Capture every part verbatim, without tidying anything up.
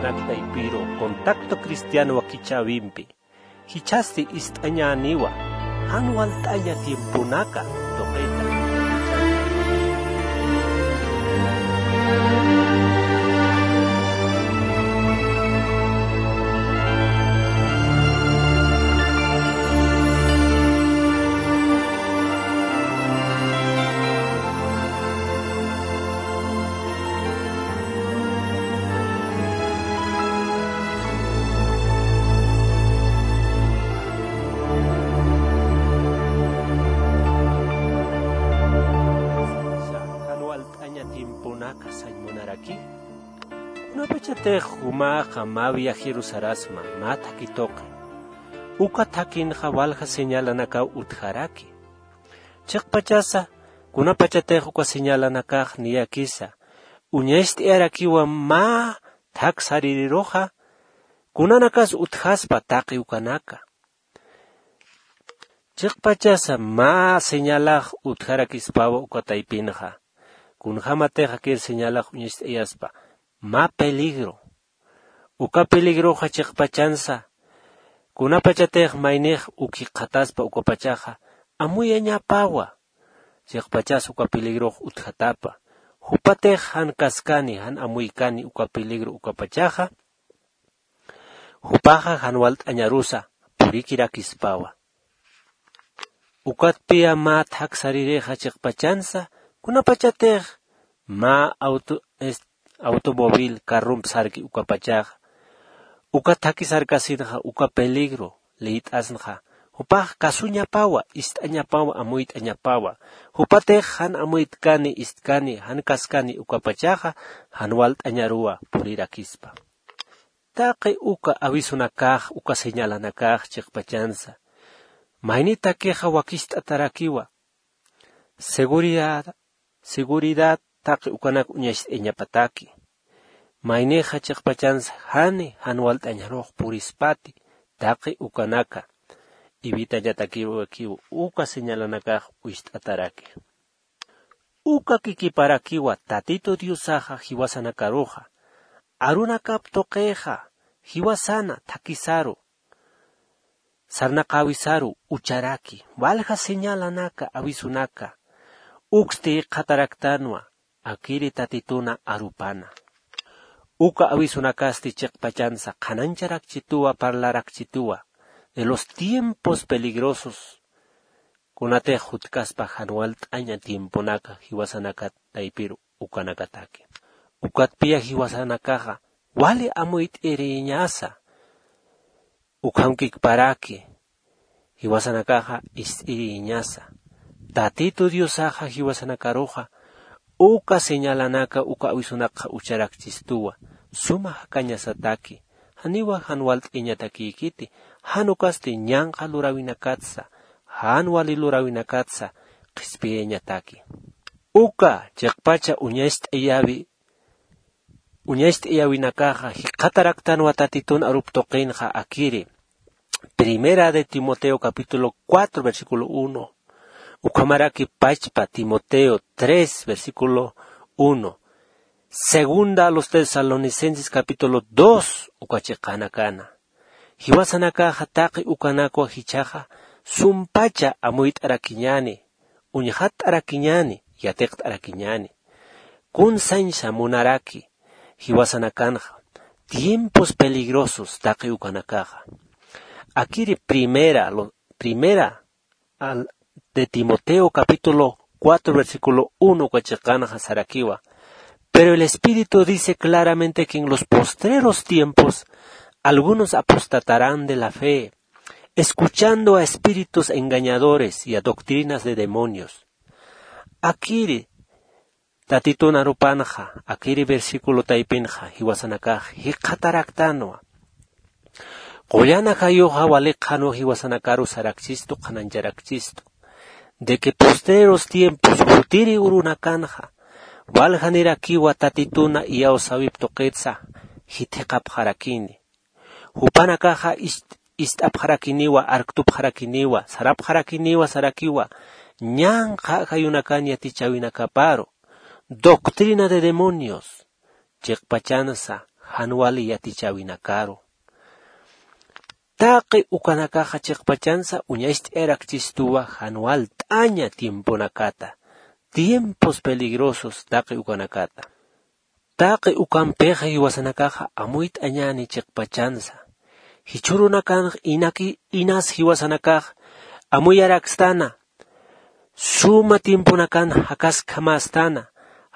Taypiru contacto cristiano wakichäwimpi jichhasti ist'añäniwa, jan walt'aña tiemponaka tuqita. Jan walt'aña tiemponaka sañ munaraki. Kunapachatix jumaxa mä viajeru sarasma, mä thakhi tuqi. Uka thakhinxa walja señalanakaw utjaraki. Chiqpachasa, kunapachatix uka señalanakax niyakisa uñacht'ayarakiwa mä thak saririruxa, kunanakas utjaspa taqi ukanaka. Chiqpachasa mä señalax utjarakispawa uka taypinxa. Kunjämatix akir señalax uñacht'ayaspa, mä peligro. Uka peligroxa chiqpachansa, kunapachatix maynix uk jikxataspa ukapachaxa, amuyañapawa. Chiqpachas uka peligrox utjatapa. Jupatix jan kaskani, jan amuykani uka peligro ukapachaxa, jupaxa jan walt'añarusa purikirakispawa. Ukatpiya mä thak saririxa chiqpachansa, kunapachatix mä auto-, est-, automóvil, carrump sarki ukapachaxa, uka thakhi sarkasinxa, uka peligro liyt'asnxa, jupax kasuñapawa, ist'añapawa, amuyt'añapawa. Jupatix jan amuytkani, istkani, jan kaskani ukapachaxa, jan walt'añaruwa purirakispa. Taqi uka avisunakax, uka señalanakax chiqpachansa, maynitakixa wakicht'atarakiwa. Seguridad, seguridad taqi ukanak uñacht'ayañapataki. Maynixa chiqpachansa jani jan walt'añarux purispati taqi ukanaka. Evitañatakiwakiw uka señalanakax uñacht'ataraki. Uka kikiparakiwa Tatitu Diosaxa jiwasanakaruxa, arunakap tuqixa, jiwasana thakhisaru, sarnaqäwisaru ucharaki, walja señalanaka, avisunaka, uksti jikxataraktanwa, akiri Tatituna arupana. Uka avisunakasti chiqpachansa qhanañcharakchituwa, parlarakchituwa de los tiempos peligrosos, kunatix jutkaspa jan walt'aña tiemponaka jiwasanakat taypiru ukanakataki. Ukatpiya jiwasanakaxa wali amuyt'iriñasa, ukham kikparaki, jiwasanakaxa ist'iriñasa. Tatitu Diosaxa jiwasanakaruxa uka señalanaka, uka avisunakxa ucharakchistuwa, suma jakañasataki, janiwa jan walt'iñatakïkiti, jan ukasti ñanqha luräwinakatsa, jan wali luräwinakatsa qhispiyañataki. Uka chiqpacha uñacht'ayäwi, uñacht'ayäwinakaxa jikxataraktanwa Tatitun arup tuqinxa akiri. Primera de Timoteo capítulo cuatro, versículo uno. Ukhamaraki pachpa Timoteo tres, versículo uno. Segunda a los Tesalonicenses capítulo dos, uka chiqanakana. Jiwasanakaxa taqi ukanakwa jichhaxa sumpacha amuyt'arakiñäni, uñjatt'arakiñäni, yatiqt'arakiñäni. Kun sañsa munaraki jiwasanakanxa tiempos peligrosos taqi ukanakaxa. Akiri primera, lo, primera al, de Timoteo capítulo cuatro, versículo uno uka chiqanxa sarakiwa. Pero el Espíritu dice claramente que en los postreros tiempos algunos apostatarán de la fe, escuchando a espíritus engañadores y a doctrinas de demonios. Akiri Tatitun arupanxa, akiri versículo taypinxa, jiwasanakax jikxataraktanwa. Qullan ajayuxa wali qhanwa jiwasanakaru sarakchistu, qhanañcharakchistu. De que postreros tiempos, jutiri urunakanxa, waljanirakiwa Tatituna iyawsäwip tuqitsa, jithiqapxarakini. Jupanakaxa ist-, ist'apxarakiniwa, arktupxarakiniwa, sarapxarakiniwa, sarakiwa, ñanqha ajayunakan yatichäwinakaparu, doctrina de demonios, chiqpachansa, jan wali yatichäwinakaru. Taqi ukanakaxa chiqpachansa uñacht'ayarakchistuwa jan walt'aña tiemponakata, tiempos peligrosos taqi ukanakata. Taqi ukampixa jiwasanakaxa amuyt'añäni chiqpachansa. Jichhürunakanx inaki inas jiwasanakax amuyarakstana, suma tiemponakan jakaskjamästana,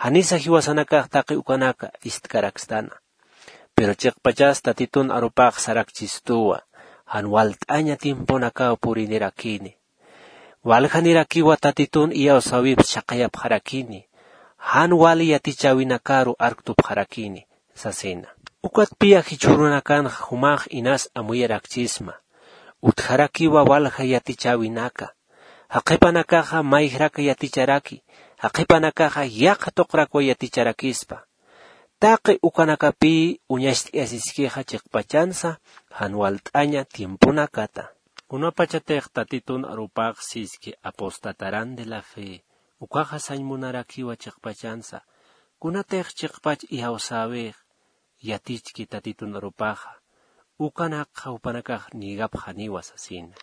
janisa jiwasanakax taqi ukanaka ist'karakstana. Pero chiqpachas Tatitun arupax sarakchistuwa, jan walt'aña tiemponakaw purinirakini. Waljanirakiwa Tatitun iyawsäwips chhaqayapxarakini, jan wali yatichäwinakaru arktupxarakini, sasina. Ukatpiya jichhürunakanxa jumax inas amuyarakchisma, utjarakiwa walja yatichäwinaka, jaqhipanakaxa mayjrak yaticharaki, jaqhipanakaxa yaqha tuqrakwa yaticharakispa. Taqi ukanakapï uñacht'ayasiskixa chiqpachansa jan walt'aña tiemponakata. Kunapachatix Tatitun arupax siski apostatarán de la fe, ukaxa sañ munarakiwa chiqpachansa, kunatix chiqpach iyawsäwix yatichki Tatitun arupaxa, ukanakxa jupanakax niegapxaniwa sasina.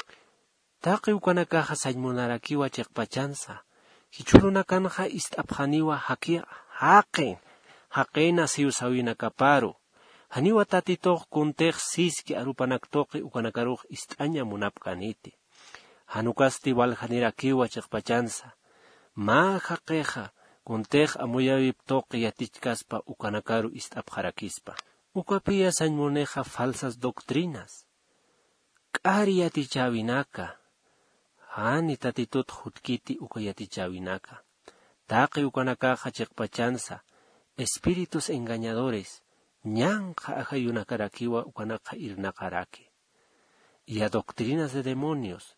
Taqi ukanakaxa sañ munarakiwa chiqpachansa, jichhürunakanxa ist'apxaniwa jaqi, jaqin, jaqina siwsäwinakaparu. Janiwa Tatitux kuntix siski arupanak tuqi ukanakarux ist'aña munapkäniti. Jan ukasti waljanirakiwa chiqpachansa, mä jaqixa kuntix amuyäwip tuqi yatichkaspa ukanakaru ist'apxarakispa. Ukapiya sañ munixa falsas doctrinas, k'ari yatichäwinaka, jani Tatitut jutkiti uka yatichäwinaka. Taqi ukanakaxa chiqpachansa espíritus engañadores, ñanqha ajayunakarakiwa ukanakxa irnaqaraki. Y a doctrinas de demonios,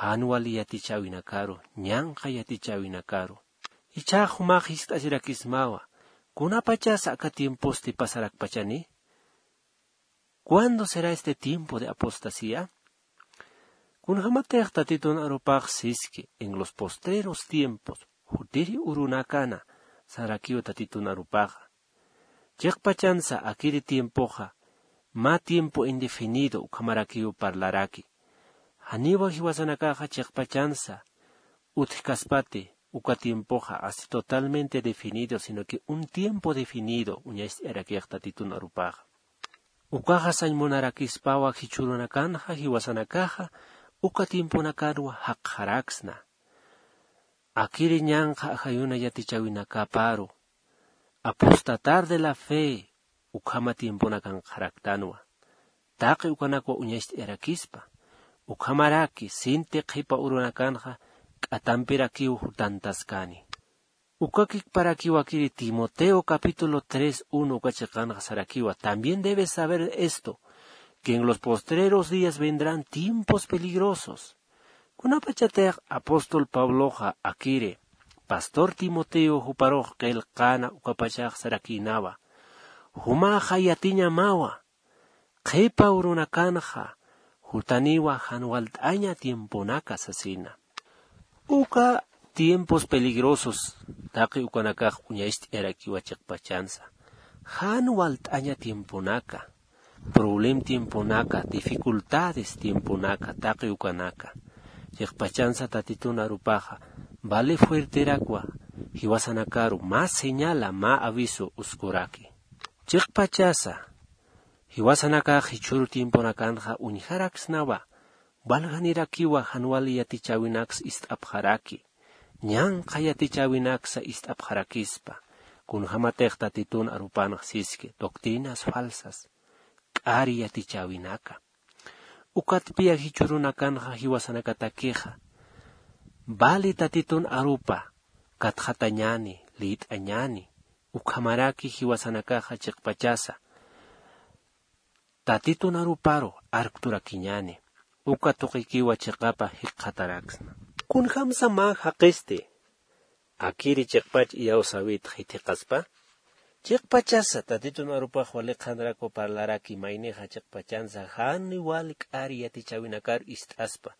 jan wali yatichäwinakaru, ñanqha yatichäwinakaru. Ichhax jumax jiskt'asirakismawa, kunapachasa aka tiemposti pasarakpachani? ¿Cuándo será este tiempo de apostasía? Kunjamatix Tatitun arupax siski en los postreros tiempos, jutiri urunakana, sarakiw Tatitun arupaxa. Chiqpachansa akiri tiempoxa, mä tiempo indefinido ukhamarakiw parlaraki. Janiwa jiwasanakaxa chiqpachansa utjkaspati uka tiempoxa así totalmente definido, sino que un tiempo definido uñacht'ayarakix Tatitun arupaxa. Ukaxa sañ munarakispawa jichhürunakanxa jiwasanakaxa uka tiemponakanwa jaqxaraksna. Akiri ñanqha ajayuna yatichäwinakaparu, apostatar de la fe, ukhama tiemponakanxaraktanwa. Taqi ukanakwa uñacht'ayarakispa, ukhamaraki sinti qhipa urunakanxa k'atampirakiw jutantaskani. Uka kikparakiw akiri Timoteo capítulo tres uno uka chiqanxa sarakiwa: También debes saber esto, que en los postreros días vendrán tiempos peligrosos. Kunapachatix apóstol Pabloxa akiri pastor Timoteo juparux qillqäna ukapachax sarakïnawa, jumaxa yatiñamawa, qhipa urunakanxa jutaniwa jan walt'aña tiemponaka sasina. Uka tiempos peligrosos taqi ukanakax uñacht'ayarakiwa chiqpachansa. Jan walt'aña tiemponaka, problem tiemponaka, dificultades tiemponaka, taqi ukanaka. Chiqpachansa Tatitun arupaxa vale fuerterakwa, jiwasanakaru mä señala, mä aviso uskuraki. Chiqpachasa jiwasanakax jichhüru tiemponakanxa uñjaraksnawa, waljanirakiwa jan wali yatichäwinaks ist'apxaraki, ñanqha yatichäwinaksa ist'apxarakispa, kunjamatix Tatitun arupanx siski doctrinas falsas, k'ari yatichäwinaka. Ukatpiya jichhürunakanxa jiwasanakatakixa vali Tatitun arupa katxatañäni, lït'añäni, ukhamaraki jiwasanakaxa chiqpachasa Tatitun aruparu arkturakiñäni, uka tuqikiwa chiqapa jikxataraksna. Kunjamsa mä jaqisti akiri chiqpach iyawsäwit jithiqaspa? Chiqpachasa Tatitun arupax wali qhanrakwa parlaraki maynixa chiqpachansa jan wali k'ari yatichäwinakar ist'aspa,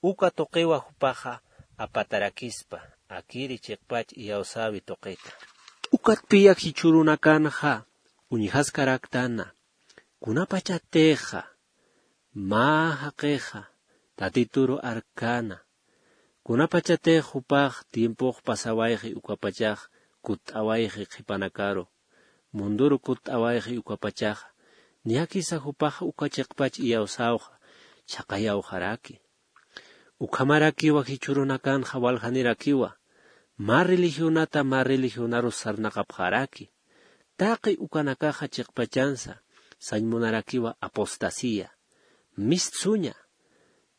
uka tuqiwa jupaxa apatarakispa, akiri chiqpach iyawsäwi tuqita. Ukatpiya jichhürunakanxa Uñjaskaraktana, kunapachatixa mä jaqixa Tatituru arkana, kunapachatix jupax tiempox pasawayxi ukapachax kutt'awayxi qhipanakaru, munduru kutt'awayxi ukapachaxa, niyakisa jupax uka chiqpach iyawsawxa chhaqayawxaraki. Ukhamarakiwa jichhürunakanxa waljanirakiwa, mä religionata mä religionarus sarnaqapxaraki. Taqi ukanakaxa chiqpachansa sañ munarakiwa apostasía, mistsuña,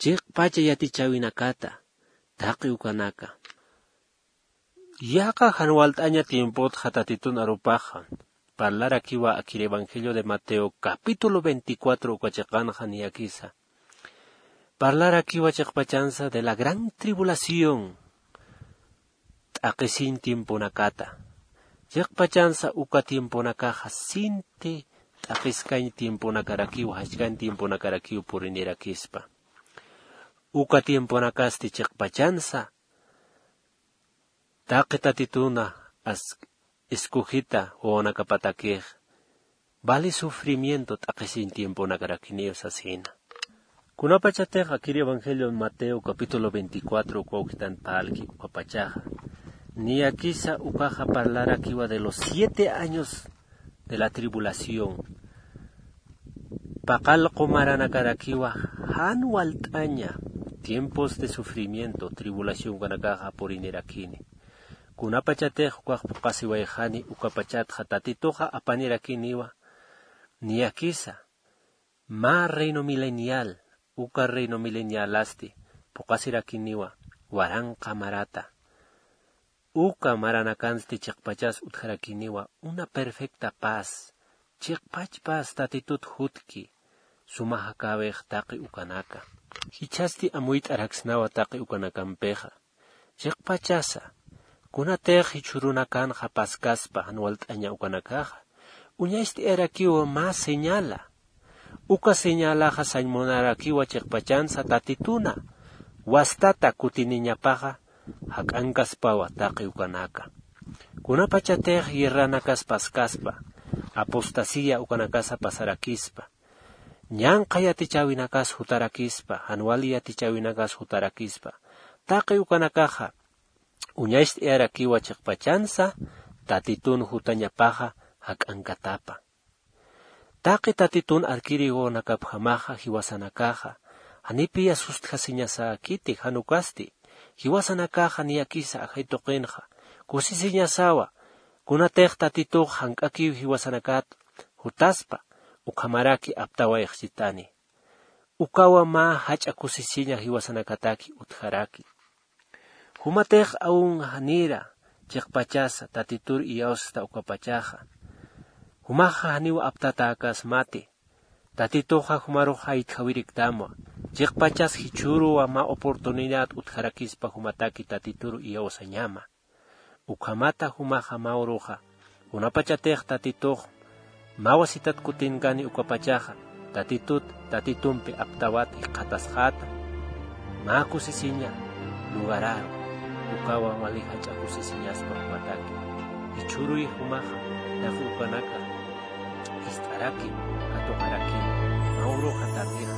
chiqpacha yatichäwinakata, taqi ukanaka. Yaqha jan walt'aña tiempotxa Tatitun arupaxa parlarakiwa akir Evangelio de Mateo capítulo veinticuatro uka chiqanxa niyakisa. Parlarakiwa chiqpachansa de la gran tribulación, t'aqhisiñ tiemponakata. Chiqpachansa uka tiemponakaxa sinti t'aqhiskañ tiemponakarakiw, jachkañ tiemponakarakiw purinirakispa. Uka tiemponakasti chiqpachansa taqi Tatituna as-, escogita wawanakapatakix vale sufrimiento t'aqhisiñ tiemponakarakiniw sasina. Kunapachatix akir Evangelio Mateo capítulo veinticuatro uka ukhitan parlki ukapachaxa, niyakisa ukaxa parlarakiwa de los siete años de la tribulación. Paqallqu maranakarakiwa jan walt'aña tiempos de sufrimiento, tribulación ukanakaxa purinirakini. Kunapachatix ukax phuqasiwayxani ukapachatxa Tatituxa apanirakiniwa niyakisa mä reino milenial, uka reino milenialasti phuqasirakiniwa waranqa marata. Uka maranakansti chiqpachas utjarakiniwa una perfecta paz, chiqpach paz Tatitut jutki, suma jakäwix taqi ukanaka. Jichhasti amuyt'araksnawa taqi ukanakampixa. Chiqpachasa, kunatix jichhürunakanxa paskaspa jan walt'aña ukanakaxa, uñacht'ayarakiwa mä señala. Uka señalaxa sañ munarakiwa chiqpachansa Tatituna wastata kutiniñapaxa jak'ankaspawa taqi ukanaka. Kunapachatix guerranakas paskaspa, apostasía ukanakasa pasarakispa, ñanqha yatichäwinakas jutarakispa, jan wali yatichäwinakas jutarakispa, taqi ukanakaxa uñacht'ayarakiwa chiqpachansa Tatitun jutañapaxa jak'ankatapa. Taqi Tatitun arkiri wawanakapjamaxa jiwasanakaxa janipï sustjasiñasäkiti, jan ukasti jiwasanakaxa niyakisa ajay tuqinxa kusisiñasawa, kunatix Tatitux jank'akiw jiwasanakat jutaspa, ukhamaraki aptawayxchitani. Ukawa mä jach'a kusisiña jiwasanakataki utjaraki. Jumatix aun janira chiqpachasa Tatitur iyawsasta ukapachaxa, jumaxa janiw aptatäkasmati. Tatituxa jumarux jaytjawiriktamwa, chiqpachas jichhüruwa mä oportunidad utjarakispa jumataki Tatitur iyawsañama. Ukhamata jumaxa mä uruxa, kunapachatix Tatitux mä wasitat kutinkani ukapachaxa, Tatitut, Tatitumpi aptawat jikxatasxäta, mä kusisiña lugararu, ukawa wali jach'a kusisiñaspa jumataki. Jichhüruy jumaxa, taqi ukanaka jist'araki, katuqaraki, mä uruxa taqix